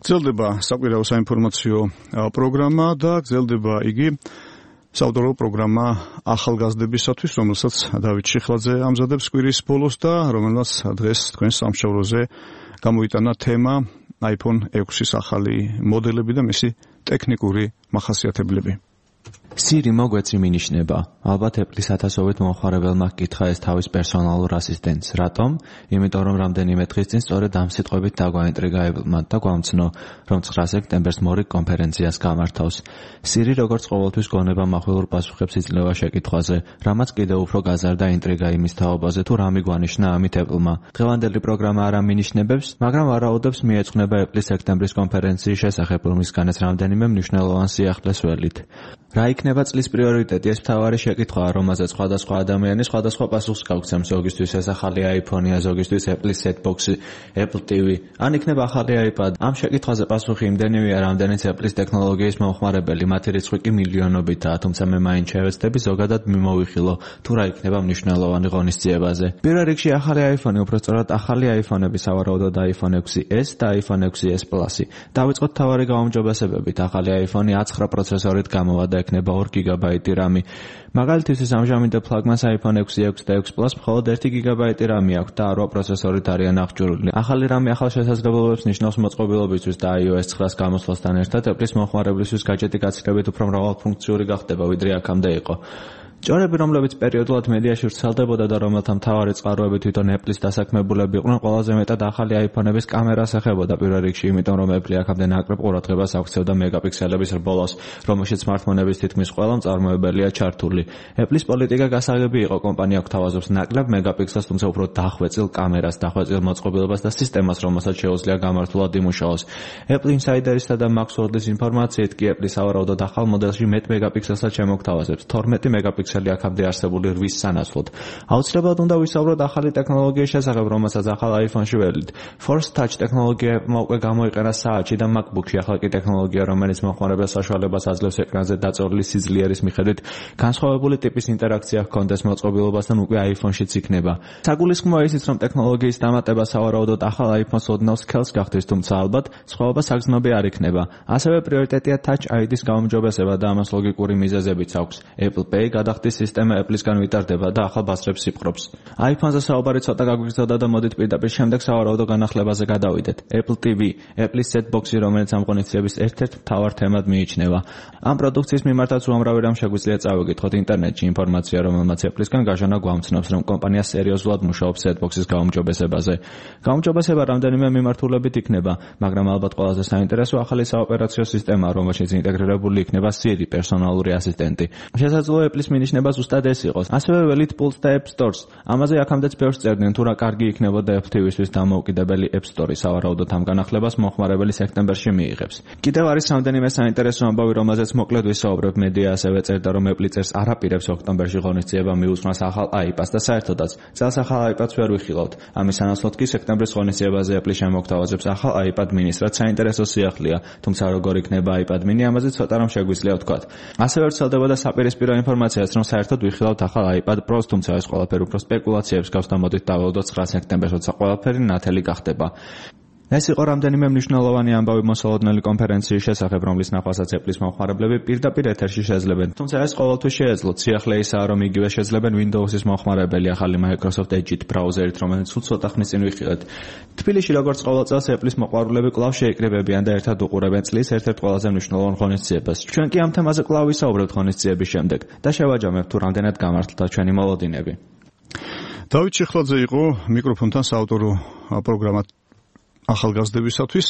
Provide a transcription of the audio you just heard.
გრძელდება საკვირაო საინფორმაციო პროგრამა და გრძელდება იგი საავტორო პროგრამა ახალგაზრდებისათვის, რომელსაც დავით შიხლაძე ამზადებს კვირის ბოლოს და რომელსაც დღეს თქვენ სამშაბლოზე გამოიტანა თემა iPhone 6-ის ახალი მოდელები და მისი ტექნიკური მახასიათებლები. Siri მოგვეცი მინიშნება. ალბათ Apple-ის ათასობით მომხმარებელმა ჰკითხა ეს თავის პერსონალურ ასისტენტს. რატომ? იმიტომ რომ რამდენიმე დღის წინ სწორედ ამ სიტყვებით დაგვაინტრიგა Apple-მა და გვამცნო, რომ 9 სექტემბერს მორიგ კონფერენციას გამართავს. Siri როგორც ყოველთვის გონება מחვილურ პასუხებს იძლევა შეკითხვაზე, რამაც კიდევ უფრო გაზარდა ინტრიგა იმის თაობაზე, თუ რა მიგვანიშნა ამით Apple-მა. დღევანდელი პროგრამა არ ამინიშნებებს, მაგრამ ვარაუდებს მიეძღვნება Apple-ის სექტემბრის კონფერენციის შესახებ, რომლისგანაც რამდენიმე მნიშვნელოვან სიახლეს ველით. რა იქნება წლის პრიორიტეტი? ეს მთავარი შეკითხვაა, რომელზეც სხვადასხვა ადამიანი სხვადასხვა პასუხს გავგზავნებს. ზოგისთვის ეს ახალი iPhone-ია, ზოგისთვის Apple-ის set-box-ი, Apple TV. ან იქნება ახალი iPad? ამ შეკითხვაზე პასუხი იმდენივეა, რამდენიც Apple-ის ტექნოლოგიის მომხმარებელი, მათი რიცხვი კი მილიონობითაა, თუმცა მე მაინც შევეცდები ზოგადად მიმოვიხილო, თუ რა იქნება მნიშვნელოვანი ღონისძიებაზე. პირველ რიგში ახალი iPhone-ი, უბრალოდ ახალი iPhone-ები, სავარაუდოდ iPhone 6s და iPhone 6s Plus-ი. დავიწყოთ მთავარი გაუმჯობესებებით. ახალი iPhone-ი 9 პროცესორით გამოვიდა, ექნება 2 გიგაბაიტი RAM-ი. მაგალითისთვის ამჟამინდელ ფლაგმანს iPhone 6 და 6 Plus მხოლოდ 1 გიგაბაიტი RAM-ი აქვს და 8 პროცესორით არიან აღჭურვილი. ახალი RAM-ი ახალ შესაძლებლობებს ნიშნავს მოწყობილობისთვის და iOS 9-ს გამოსვლასთან ერთად Apple-ის მომხმარებლისთვის გაჯეტი გაცილებით უფრო მრავალფუნქციური გახდება, ვიდრე აქამდე იყო. ჭორები, რომლებიც პერიოდულად მედიაში ვრცელდებოდა და რომელთა მთავარი წყაროები თვითონ Apple-ის დასაქმებულები იყვნენ, ყველაზე მეტად ახალი iPhone-ების კამერას ეხებოდა პირველ რიგში, იმიტომ რომ Apple აქამდე ნაკლებ ყურადღებას აქცევდა მეგაპიქსელების რბოლას, რომელშიც smartphone-ების თითქმის ყველა მწარმოებელია ჩართული. Apple-ის პოლიტიკა გასაგები იყო, კომპანია გვთავაზობს ნაკლებ მეგაპიქსელს, თუმცა უფრო დახვეწილ კამერას, დახვეწილ მოწყობილობას და სისტემას, რომელსაც შეუძლია გამართულად იმუშაოს. Apple Insider-ისა და Maxwell-ის ინფორმაციით კი Apple სავარაუდოდ ახალ მოდელში 10 მეგაპიქსელსაც შემოგთავაზებს, 12 მეგაპიქსელი აქამდე არსებული 8-ის სანაცვლოდ. აუცილებლად უნდა ვისაუბროთ ახალი ტექნოლოგიის შესახებ, რომელსაც ახალ iPhone-ში ველით. Force Touch ტექნოლოგია უკვე გამოიყენა საათში და MacBook-ში. ახალი ტექნოლოგია, რომელიც მომხმარებელს საშუალებას აძლევს ეკრანზე დაწოლილი სიძლიერის მიხედვით განსხვავებული ტიპის ინტერაქცია ჰქონდეს მოწყობილობასთან, უკვე iPhone-შიც იქნება. საგულისხმოა ისიც, რომ ტექნოლოგიის დამატება სავარაუდოდ ახალ iPhone-ს ოდნავ სქელს გახდის, თუმცა ალბათ სხვაობა საგრძნობი არ იქნება. ასევე პრიორიტეტია Touch ID-ის გაუმჯობესება და ამას ლოგიკური მიზეზებიც აქვს. Apple Pay გადახდის სისტემა Apple-ისგან ვიტარდება და ახალ ბაზრებს იპყრობს. iPhone-ზე საუბარი ცოტა გაგვიგზავნა და მოდით პირდაპირ შემდეგ სავარაუდო განახლებაზე გადავიდეთ. Apple TV, Apple-ის set-box-ი, რომელიც ამ ღონისძიების ერთ-ერთ მთავარ თემად მიიჩნევა. ამ პროდუქციის მიმართაც უამრავი რამ შეგვიძლია წავიკითხოთ ინტერნეტში. ინფორმაცია, რომელმაც Apple-ისგან გაჟონა გვამცნობს, რომ კომპანია სერიოზულად მუშაობს set-box-ის გაუმჯობესებაზე. გაუმჯობესება რამდენიმე მიმართულებით იქნება, მაგრამ ალბათ ყველაზე საინტერესო ახალი საოპერაციო სისტემა, რომელშიც ინტეგრირებული იქნება Siri, პერსონალური ასისტენტი. შესაძლოა Apple-ის მინიშნება ზუსტად ეს იყოს. ასევე ველით Pulse და App Stores. ამაზე აქამდეც ბევრს წერდნენ, თუ რა კარგი იქნებოდა Apple TV-ისთვის დამოუკიდებელი App Store-ი, სავარაუდოდ ამ განახლებას მომხმარებელი სექტემბერში მიიღებს. კიდევ არის რამდენიმე საინტერესო ამბავი, რომელზეც მოკლედ ვისაუბრებ. მედია ასევე წერდა, რომ Apple წერს არაპირებს ოქტომბერში ღონისძიება მიუსვას ახალ iPad-ს და საერთოდაც წელს ახალ iPad-ს ვერ ვიხილავთ. ამის სანაცვლოდ კი სექტემბრის ღონისძიებაზე Apple შემოგთავაზებს ახალ iPad mini-ს, რაც საინტერესო სიახლეა, თუმცა როგორ იქნება iPad mini, ამაზე ცოტა რამ შეგვიძლია ვთქვათ. ასევე ვრცელდებოდა საპირისპირო ინფორმაციაც, რომ საერთოდ ვიხილავთ ახალ iPad Pro-ს, თუმცა ეს ყველაფერი უფრო სპეკულაციებს გავს და მოდით დავაუდოთ 9 სექტემბერს, როცა ყველაფერი ნათელი გახდება. ეს იყო რამდენიმე მნიშვნელოვანი ამბავი მოსალოდნელი კონფერენციის შესახებ, რომლის ნახვასაც Apple-ის მომხმარებლები პირდაპირ ეთერში შეძლებენ. თუმცა ეს ყოველთვის შეეძლოთ. სიახლე ისაა, რომ იგივე შეძლებენ Windows-ის მომხმარებელი ახალი Microsoft Edge ბრაუზერით, რომელიც ცოტა ხნის წინ ვიხილეთ. თბილისში როგორც ყოველ წელს Apple-ის მოყვარულები კვლავ შეიკრიბებიან და ერთად უყურებენ წლის ერთ-ერთ ყველაზე მნიშვნელოვან ღონისძიებას. ჩვენ კი ამ თემაზე კვლავ ვისაუბრებთ ღონისძიების შემდეგ და შევაჯამებთ, თუ რამდენად გამართლდა ჩვენი მოლოდინები. დავით შიხლაძე იყო მიკროფონთან საავტორო პროგრამა ახალგაზრდებისათვის.